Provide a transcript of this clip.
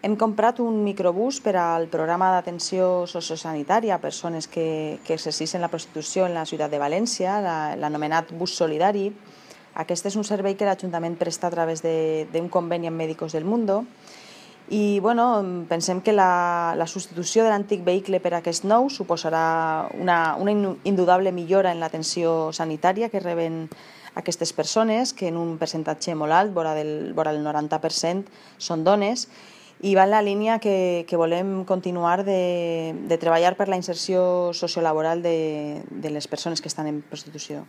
Hem comprat un microbús per al programa d'atenció sociosanitària a persones que exerceixen la prostitució en la ciutat de València, l'anomenat bus solidari. Aquest és un servei que l'Ajuntament presta a través d'un conveni amb Médicos del Mundo i pensem que la substitució de l'antic vehicle per aquest nou suposarà una indudable millora en l'atenció sanitària que reben aquestes persones, que en un percentatge molt alt, vora el 90%, són dones, i va en la línia que volem continuar de treballar per la inserció sociolaboral de les persones que estan en prostitució.